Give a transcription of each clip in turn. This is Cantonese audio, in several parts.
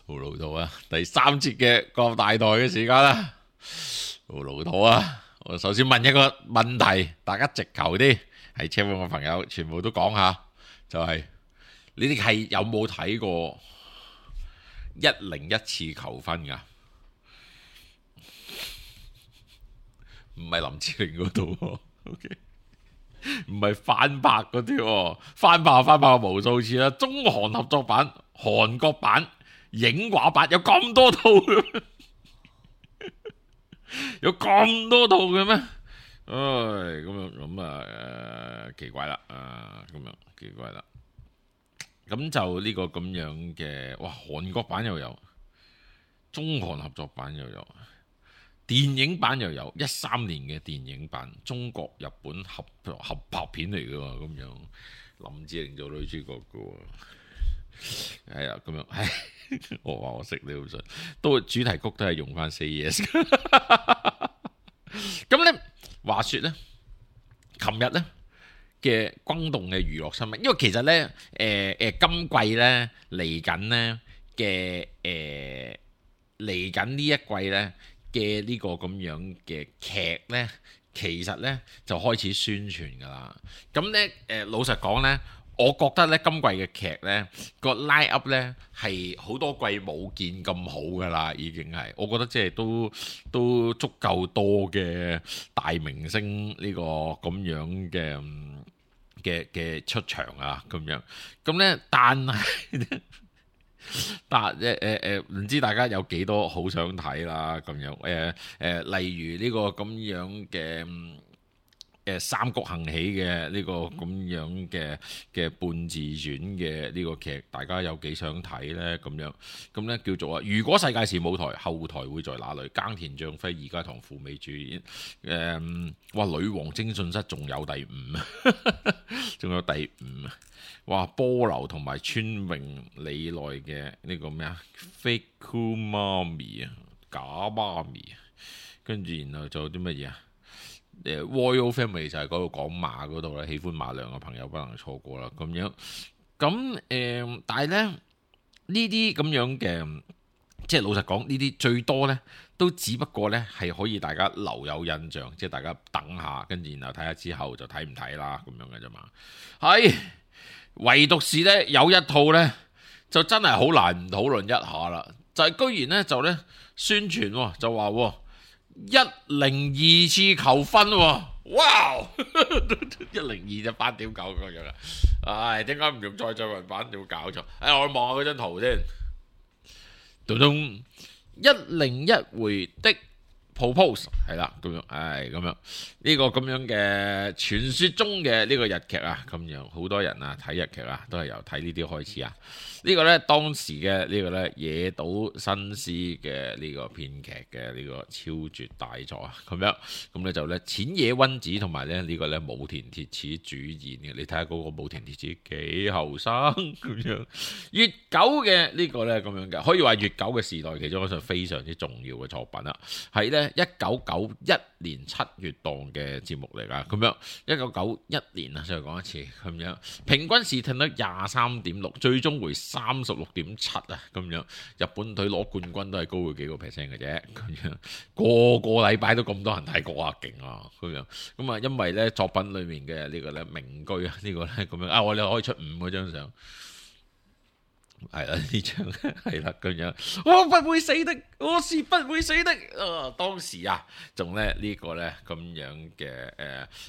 好老土啊！第3節嘅國大台嘅時間啦，好老土啊！我首先問一個問題，大家直球啲，係車會嘅朋友全部都講下，就係你哋係有冇睇過101次求婚噶？唔係林志玲嗰度喎，OK，唔係翻拍嗰啲喎，翻拍無數次啦，中韓合作版、韓國版、影畫版有咁多套嘅咩？有咁多套嘅咩？唉，咁啊，奇怪啦，咁樣奇怪啦。咁就呢個咁樣嘅，哇！韓國版又有，中韓合作版又有，電影版又有，13年嘅電影版，中國日本合拍片嚟嘅喎，咁樣林志玲做女主角嘅喎，係啊，咁樣，唉，我話我識你好信，都主題曲都係用翻 Say Yes。咁咧，話說咧，琴日咧嘅轟動嘅娛樂新聞，因為其實咧，今季咧嚟緊咧嘅嚟緊呢一季咧嘅呢個咁樣嘅劇咧，其實咧就開始宣傳噶啦。咁咧，老實講咧，我覺得咧今季嘅劇咧個 line up 咧係好多季冇見咁好噶啦，已經係，我覺得即係都足夠多嘅大明星呢個咁樣嘅出場啊，咁樣，咁咧但係唔知大家有幾多好想睇啦，咁樣例如呢個咁樣嘅三國行起嘅呢個咁樣嘅半自傳嘅呢個劇，大家有幾想睇呢？咁呢叫做如果世界是舞台，後台會在哪裏？耕田將輝、二階堂富美主演。哇！女王徵信室仲有第5，仲有第5啊！哇！波流同埋川榮李奈嘅呢個咩啊 ？Fake Cool 媽咪啊，假媽咪啊，跟住然後仲有啲乜嘢啊？Royal Family 就係嗰度講馬嗰度啦，喜歡馬娘嘅朋友不能錯過啦，咁樣咁但係咧呢啲咁樣嘅，即係老實講，呢啲最多咧都只不過咧係可以大家留有印象，即係大家等下，跟住然後睇下之後就睇唔睇啦，咁樣嘅啫嘛。係唯獨是咧有一套咧就真係好難唔討論一下啦，就係居然咧就咧宣傳就話102次求婚喎，哇！102就8.9咁樣啦，唉，點解唔用再造人版？點搞錯？我望下嗰張圖先，咚咚101回的 propose 係啦，咁樣，咁樣呢個咁樣嘅傳說中嘅呢個日劇啊，咁樣好多人啊睇日劇啊，都係由睇呢啲開始啊。呢個呢，當時嘅呢個呢，野島伸司嘅呢個編劇嘅呢個超絕大作啊，咁樣咁呢就呢，淺野溫子同埋呢個呢，武田鐵矢主演嘅，你睇下嗰個武田鐵矢幾後生咁樣，越久嘅呢個呢，咁樣嘅，可以話越久嘅時代其中一場非常之重要嘅作品啦，係呢1991年7月檔嘅節目嚟㗎，咁樣1991年啊，再講一次咁樣，平均視聽率23.6，最終回36.7啊，咁樣日本隊攞冠軍都係高佢幾個 percent 嘅啫，咁樣個禮拜都咁多人睇過啊，勁啊，咁啊，因為咧作品裡面嘅呢個咧名句啊，呢個咧咁樣啊，我哋可以出5嗰張相。係啦，呢張係啦咁樣，我不會死的，我是不會死的。當時啊，仲咧呢個咧咁樣嘅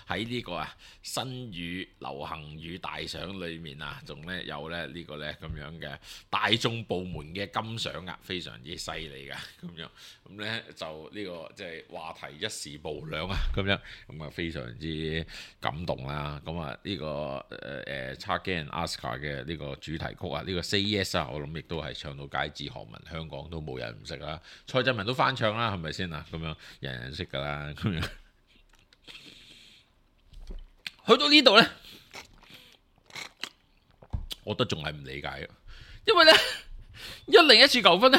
喺呢個新語流行語大賞裏面啊，仲咧有咧呢個咧咁樣嘅大眾部門嘅金賞啊，非常之犀利噶咁樣。咁咧就呢個即係話題一時無兩啊，咁樣咁啊非常之感動啦。咁啊呢個Charlie and Asuka 嘅呢個主題曲啊，呢個 Say Yes。我諗亦都係唱到街知巷聞，香港都冇人唔識啦。蔡振文都翻唱啦，係咪先啊？咁樣人人識噶啦。咁樣去到呢度呢，我都仲係唔理解嘅，因為呢101次求婚呢，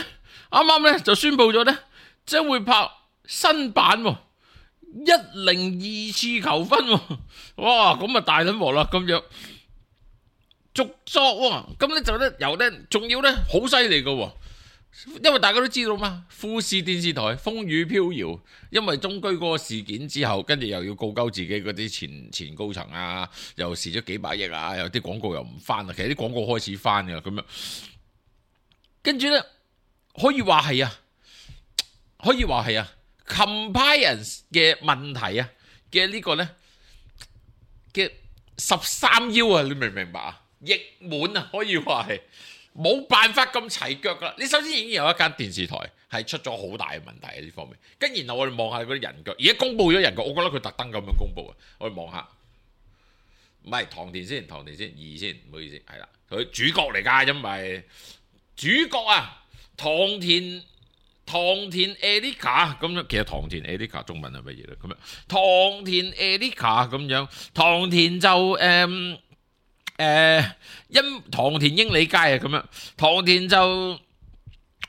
啱啱呢就宣布咗呢，將會拍新版102次求婚喎。哇！咁啊大撚鑊啦，咁樣。續作喎，咁咧就咧由咧，仲要咧好犀利嘅喎，因為大家都知道嘛，富士電視台風雨飄搖，因為中居嗰個事件之後，跟住又要告鳩自己嗰啲前高層啊，又蝕咗幾百億啊，有啲廣告又唔翻啊，其實啲廣告開始翻嘅咁樣，跟住呢，可以話係啊 compliance 嘅問題啊嘅呢個呢，嘅13腰啊，你明唔明白啊？溢滿啊，可以話係。冇辦法咁齊腳噶，你首先已經有一間電視台係出咗好大嘅問題喺呢方面，跟然後我哋望下嗰啲人腳，而家公佈咗人腳，我覺得佢特登咁樣公佈啊，我哋望下，唔係唐田先2先，唔好意思，係啦，佢主角嚟㗎，因為主角啊，唐田 Erica 咁樣，其實唐田 Erica 中文係乜嘢咧？咁樣唐田 Erica 咁樣，唐田就唐田英里街啊，咁樣唐田就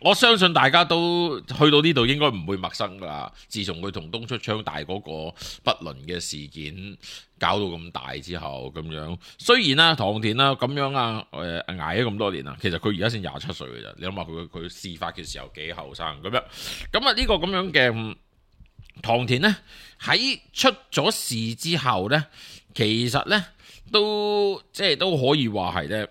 我相信大家都去到呢度應該唔會陌生噶啦。自從佢同東出昌大嗰個不倫嘅事件搞到咁大之後，咁樣雖然啦唐田啦咁樣啊捱咗咁多年啦，其實佢而家先27歲嘅啫。你諗下佢事發嘅時候幾後生咁樣，咁啊呢個咁樣嘅唐田呢，喺出咗事之後呢，其實呢。都可以話係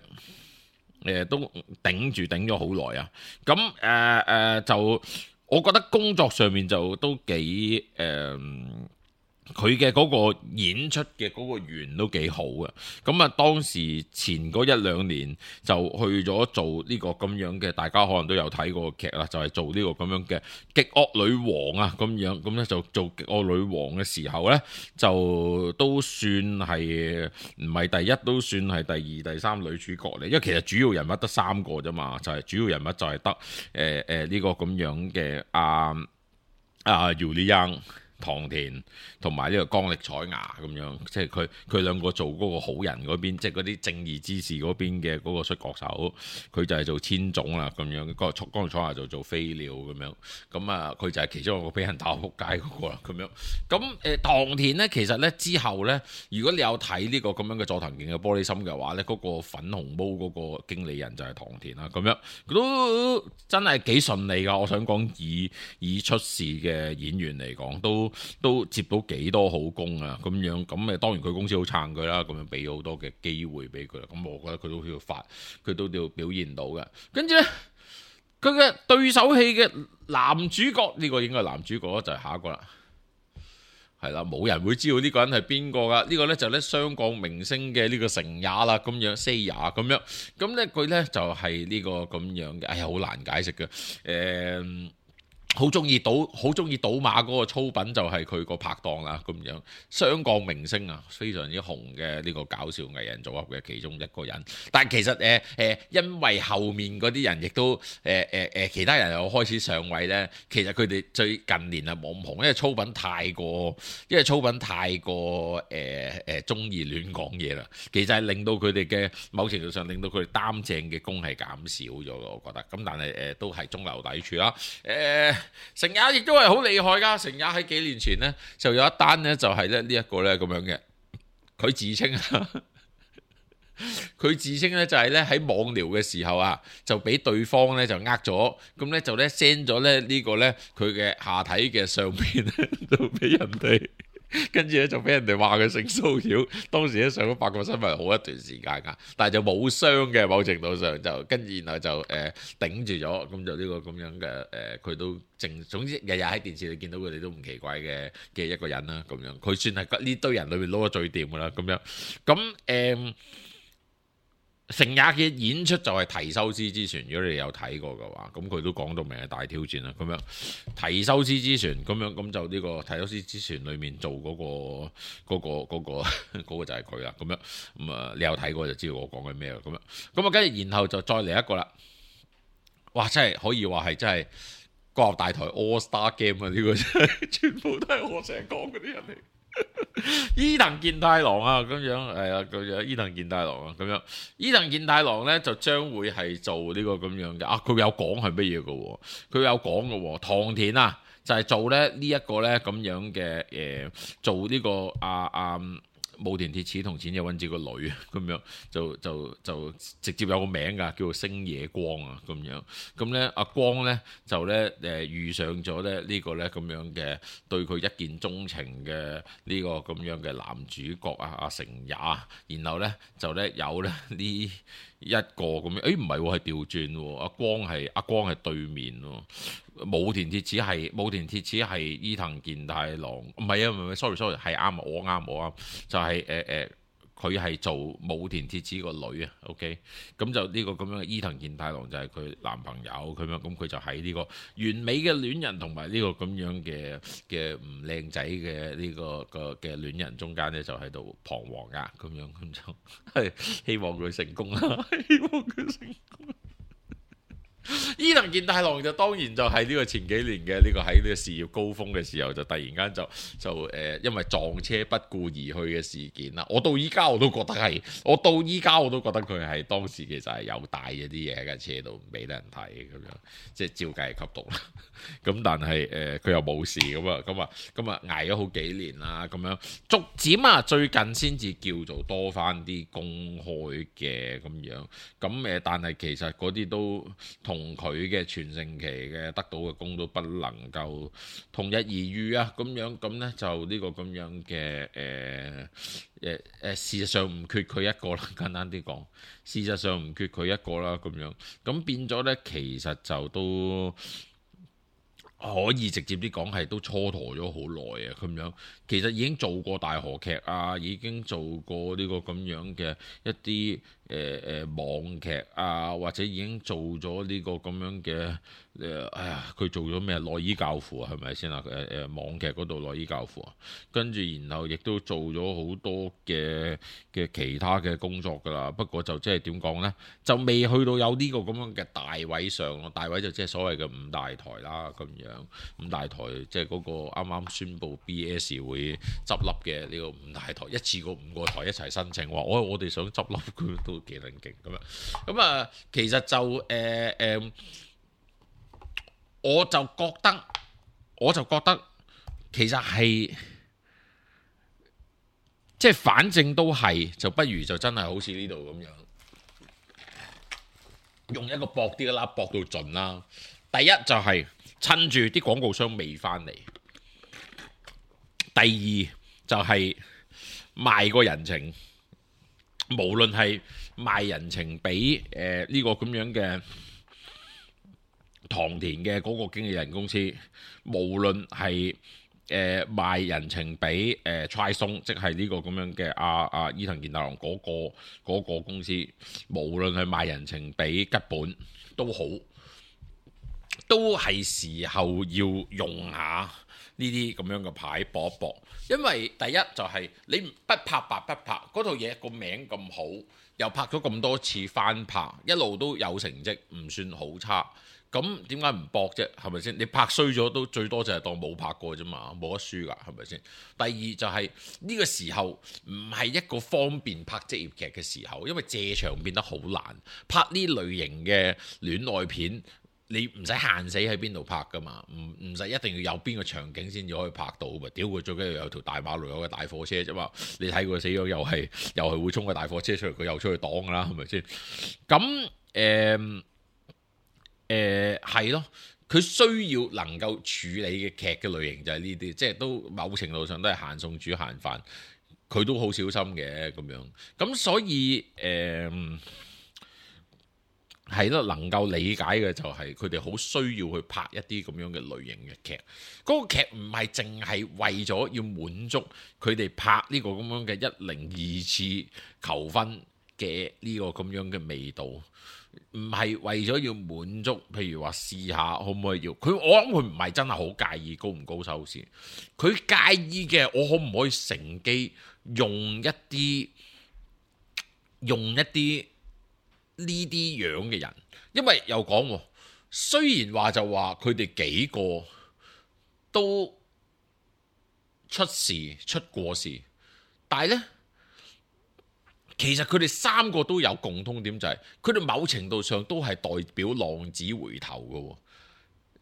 咧，都頂咗好耐啊！咁就我覺得工作上面就都幾佢嘅嗰個演出嘅嗰個緣都幾好嘅，咁啊當時前嗰1-2年就去咗做呢個咁樣嘅，大家可能都有睇過劇啦，就係做呢個咁樣嘅極惡女王啊咁樣，咁咧就做極惡女王嘅時候咧，就都算係唔係第一，都算係第2、第3女主角嚟，因為其實主要人物得3個啫嘛，就係主要人物就係得呢個咁樣嘅姚莉央。唐田同埋呢個江力彩芽咁樣，即係佢兩個做嗰個好人嗰邊，即係嗰啲正義之士嗰邊嘅嗰個摔角手，佢就係做千總啦咁樣，江力彩芽就做飛鳥咁樣，咁啊佢就係其中一個俾人打仆街嗰個啦咁樣。咁唐田呢，其實呢之後呢，如果你有睇呢個咁樣嘅佐藤健嘅玻璃心嘅話呢，嗰個粉紅毛嗰個經理人就係唐田啦咁樣，都真係幾順利噶。我想講以出事嘅演員嚟講都接到幾多好工啊咁樣，咁當然佢公司好撐佢啦，咁樣俾好多嘅機會俾佢啦，咁我覺得佢都要表現到嘅。跟住呢，佢嘅對手戲嘅男主角呢個應該係男主角就係下一個啦，係啦，冇人會知道呢個人係邊個噶，呢個呢就呢雙港明星嘅呢個成也啦，咁樣 Seiya 咁樣，咁呢佢呢就係呢個咁樣嘅，哎呀好難解釋嘅，好中意賭馬嗰個操品就係佢個拍檔啦，咁樣雙港明星啊，非常之紅嘅呢個搞笑藝人組合嘅其中一個人。但係其實因為後面嗰啲人亦都其他人又開始上位呢，其實佢哋最近年啊冇咁紅，因為操品太過中意亂講嘢啦。其實係令到佢哋嘅某程度上令到佢哋擔正嘅功係減少咗嘅，我覺得。咁但係都係中流砥柱啦。成也亦都係好厲害噶，成也喺幾年前呢，就有一單呢，就係咧呢一個呢咁樣嘅，佢自稱呢，就係呢喺網聊嘅時候啊，就俾對方呢就呃咗，咁呢就呢 send 咗呢呢個呢佢嘅下體嘅相片呢就俾人哋。跟住咧就俾人哋話佢性騷擾，當時咧上咗八卦新聞好一段時間噶，但係就冇傷嘅，某程度上就跟住然後就頂住咗，咁就呢個咁樣嘅佢都總之日日喺電視你見到佢哋都唔奇怪嘅一個人啦，咁樣佢算係呢堆人裏面撈得最掂噶啦，咁樣咁成也嘅演出就係提修斯之船，如果你有睇過嘅話，咁佢都講到明係大挑戰啦。咁樣提修斯之船，咁樣咁就呢個提修斯之船裏面做嗰個就係佢啦。咁樣咁啊，你有睇過就知道我講緊咩啦。咁樣咁啊，跟住然後就再嚟一個啦。哇！真係可以話係真係國立大台 All Star Game 啊！呢個真係全部都係我成日講嗰啲人嚟。伊藤健太郎啊，咁樣係啊，咁樣伊藤健太郎啊，咁樣伊藤健太郎咧就將會係做呢個咁樣嘅啊，佢有講係乜嘢嘅？佢有講嘅，唐田啊就係做咧呢一個咧咁樣嘅做呢個武田鐵矢同淺野溫子個女咁樣，就直接有個名㗎，叫做星野光啊咁樣。咁咧阿光咧就咧遇上咗咧呢個咧咁樣嘅對佢一見鍾情嘅呢個咁樣嘅男主角啊阿成也，然後咧就咧有咧呢一個咁樣，唔係喎，係調轉喎，阿光係對面喎。武田鐵矢係伊藤健太郎，唔係啊，唔係，sorry，係啱，我啱，就係佢係做武田鐵矢個女啊，OK，咁就呢個咁樣嘅伊藤健太郎就係佢男朋友咁樣，咁佢就喺呢個完美嘅戀人同埋呢個咁樣嘅唔靚仔嘅呢個嘅戀人中間咧，就喺度彷徨啊，咁樣咁就係希望佢成功啦，希望佢成功。伊藤健太郎就當然就係呢個前幾年嘅呢個喺呢個事業高峰嘅時候，就突然間就因為撞車不顧而去嘅事件啦。我到依家我都覺得佢係當時其實係有帶咗啲嘢喺架車度唔俾得人睇咁樣，即係照計係吸毒啦。咁但係佢又冇事咁啊捱咗好幾年啦，咁樣逐漸啊最近先至叫做多翻啲公開嘅咁樣。咁但係其實嗰啲都同佢嘅全盛期嘅得到嘅功都不能夠同日而語啊，咁樣咁呢就呢個咁樣嘅事實上唔缺佢一個啦，簡單啲講，事實上唔缺佢一個啦，咁樣咁變咗呢，其實就都可以直接啲講係都蹉跎咗好耐啊，咁樣其實已經做過大河劇啊，已經做過呢個咁樣嘅一啲網劇啊，或者已經做咗呢個咁樣嘅佢做咗咩內衣教父啊，係咪先啊？網劇嗰度內衣教父啊，跟住然後亦都做咗好多嘅其他嘅工作㗎啦。不過就即係點講呢？就未去到有呢個咁樣嘅大位上咯。大位就即係所謂嘅五大台啦，咁樣五大台即係嗰個啱啱宣布 BS 會執笠嘅呢個五大台，一次過5個台一齊申請話，我哋想執笠，佢都幾撚勁咁樣。咁啊，其實就我就覺得其實係即係反正都係，就不如就真係好似呢度咁樣，用一個薄啲嘅啦，薄到盡啦。第一就係趁住啲廣告商未翻嚟，第二就係賣個人情，無論係賣人情俾呢個咁樣嘅唐田嘅嗰個經紀人公司，無論係賣人情俾Try Song，即係呢個咁樣嘅伊藤健太郎嗰個公司，無論係賣人情俾吉本都好，都係時候要用下呢啲咁樣嘅牌搏一搏。因為第一就係你不拍白不拍，嗰套嘢個名咁好，又拍咗咁多次翻拍，一路都有成績，唔算好差。咁點解唔搏啫？係咪先？你拍衰咗都最多就係當冇拍過啫嘛，冇得輸㗎，係咪先？第二就係呢個時候唔係一個方便拍職業劇嘅時候，因為借場變得好難。拍呢類型嘅戀愛片，你唔使限死喺邊度拍㗎嘛，唔使一定要有邊個場景先至可以拍到㗎。屌佢最緊要有條大馬路，有個大貨車啫嘛。你睇佢死咗又係會衝個大貨車出嚟，佢又出去擋㗎啦，係咪先？咁係咯，佢需要能夠處理嘅劇嘅類型就係呢啲，即係都某程度上都係閒餸煮閒飯，佢都好小心嘅咁樣。咁所以係咯，能夠理解嘅就係佢哋好需要去拍一啲咁樣嘅類型嘅劇。嗰個劇唔係淨係為咗要滿足佢哋拍呢個咁樣嘅102次求婚嘅呢個咁樣嘅味道。唔係為咗要滿足，譬如話試下可唔可以要佢，我諗佢唔係真係好介意高唔高收視，佢介意嘅我可唔可以乘機用一啲呢啲樣嘅人，因為又講雖然話就話佢哋幾個都出過事，但係呢。其實佢哋3個都有共通點，就係佢哋某程度上都係代表浪子回頭嘅，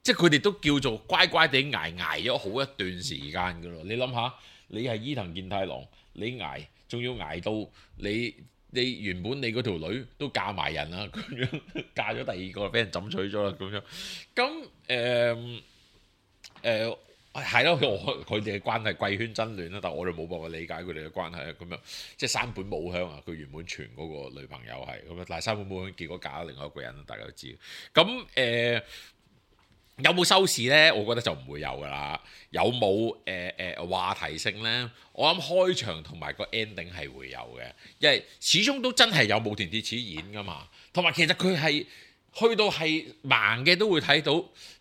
即係佢哋都叫做乖乖地捱咗好一段時間嘅咯。你諗下，你係伊藤健太郎，你捱仲要捱到你原本你嗰條女都嫁埋人啦，咁樣嫁咗第二個俾人枕取咗啦，咁樣咁係咯，佢哋嘅關係貴圈真亂啦，但係我哋冇辦法理解佢哋嘅關係啊，咁樣即係山本舞香啊，佢原本傳嗰個女朋友係咁樣，但係山本舞香結果嫁咗另外一個人，大家都知。咁有冇收視呢？我覺得就唔會有噶啦。有冇話題性呢？我諗開場同埋個 ending 係會有嘅，因為始終都真係有武田鐵矢演噶嘛。同埋其實佢係去到係盲嘅都會睇到，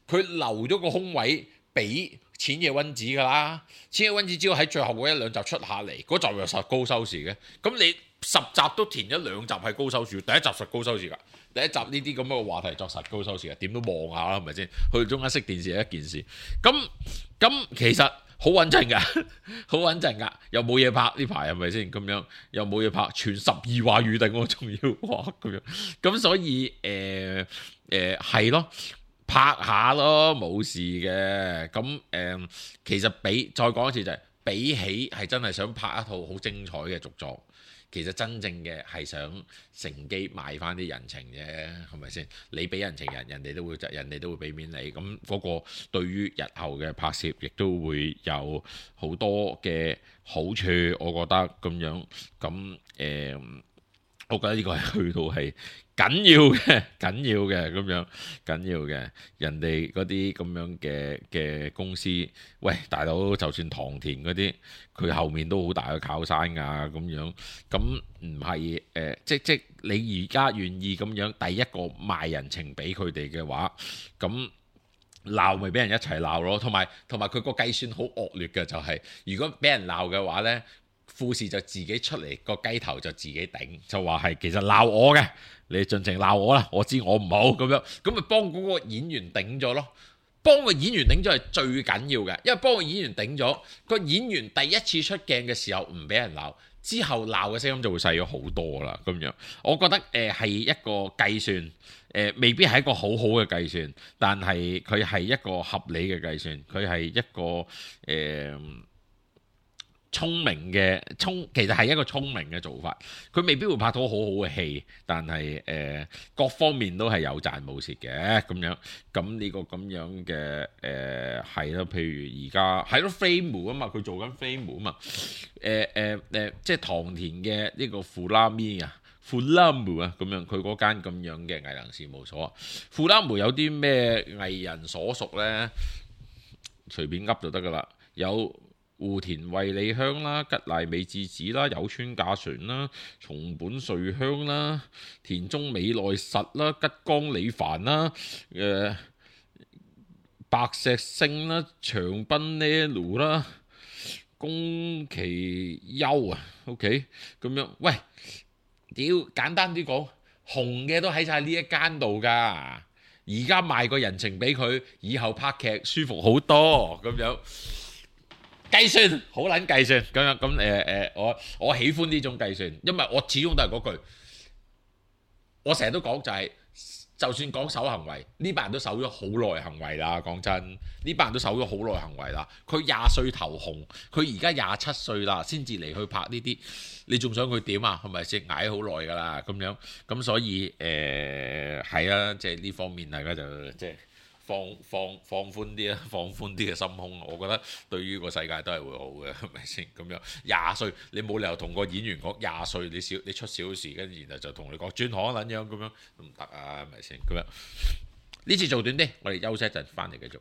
佢留咗個空位俾淺野溫子噶啦。淺野溫子只要喺最後嗰一兩集出下嚟，嗰集又實高收視嘅。咁你10集都填咗2集係高收視，第一集實高收視㗎。第一集呢啲咁嘅話題作實高收視嘅，點都望下啦，係咪先？去中間熄電視係一件事。咁其實好穩陣㗎，好穩陣㗎，又冇嘢拍呢排係咪先？咁樣又冇嘢拍，全12話預定我仲要畫咁樣。咁所以係咯，拍下咯，冇事嘅。咁其實再講一次就係、比起係真係想拍一套好精彩嘅續作。其實真正嘅係想乘機賣翻啲人情啫，係咪先？你俾人情人哋都會俾面你。咁嗰個對於日後嘅拍攝，亦都會有好多嘅好處。我覺得咁樣，我覺得呢個係去到係緊要嘅咁樣緊要嘅。人哋嗰啲咁樣嘅公司，喂大佬，就算唐田嗰啲，佢後面都好大嘅靠山㗎咁樣。咁唔係即你而家願意咁樣第一個賣人情俾佢哋嘅話，咁鬧咪俾人一齊鬧咯。同埋佢個計算好惡劣嘅，就係如果俾人鬧嘅話呢。富士就自己出嚟個雞頭就自己頂，就話係其實鬧我嘅，你盡情鬧我啦，我知我唔好咁樣，咁咪幫嗰個演員頂咗咯。幫個演員頂咗係最緊要嘅，因為幫個演員頂咗，個演員第一次出鏡嘅時候唔俾人鬧，之後鬧嘅聲音就會細咗好多啦。咁樣，我覺得係一個計算，未必係一個好好嘅計算，但係佢係一個合理嘅計算，佢係一個聰明嘅其實係一個聰明嘅做法。佢未必會拍到好好嘅戲，但係各方面都係有賺冇蝕嘅咁樣。咁呢個咁樣嘅係咯，譬如而家係咯 Frame 啊嘛，佢做緊 Frame 啊嘛。即係唐田嘅呢個富拉咪啊，富拉姆啊咁樣，佢嗰間咁樣嘅藝能事務所。富拉姆有啲咩藝人所屬呢？隨便噏就得噶啦，有戶田惠梨香啦、吉瀨美智子啦、有村架純啦、松本瑞香啦、田中美奈實啦、吉岡里帆啦、白石聖啦、長濱呢路啦、宮崎優啊 ，OK 咁樣。喂，屌簡單啲講，紅嘅都喺晒呢一間度㗎。而家賣個人情俾佢，以後拍劇舒服好多咁樣。計算好撚計算咁樣咁我喜歡呢種計算，因為我始終都係嗰句，我成日都講就係、就算講守行為，呢班人都守咗好耐行為啦。講真，呢班人都守咗好耐行為啦。佢20歲頭紅，佢而家27歲啦，先至嚟去拍呢啲，你仲想佢點啊？係咪先捱好耐㗎啦？咁樣咁所以係啊，即係呢方面大家就即係。放寬啲啦，放寬啲嘅心胸，我覺得對於個世界都係會好嘅，係咪先？咁樣20歲，你冇理由同個演員講20歲你出小事，跟住然後就同你講轉行撚樣咁樣都唔得啊，係咪先？咁樣呢次做短啲，我哋休息一陣，翻嚟繼續。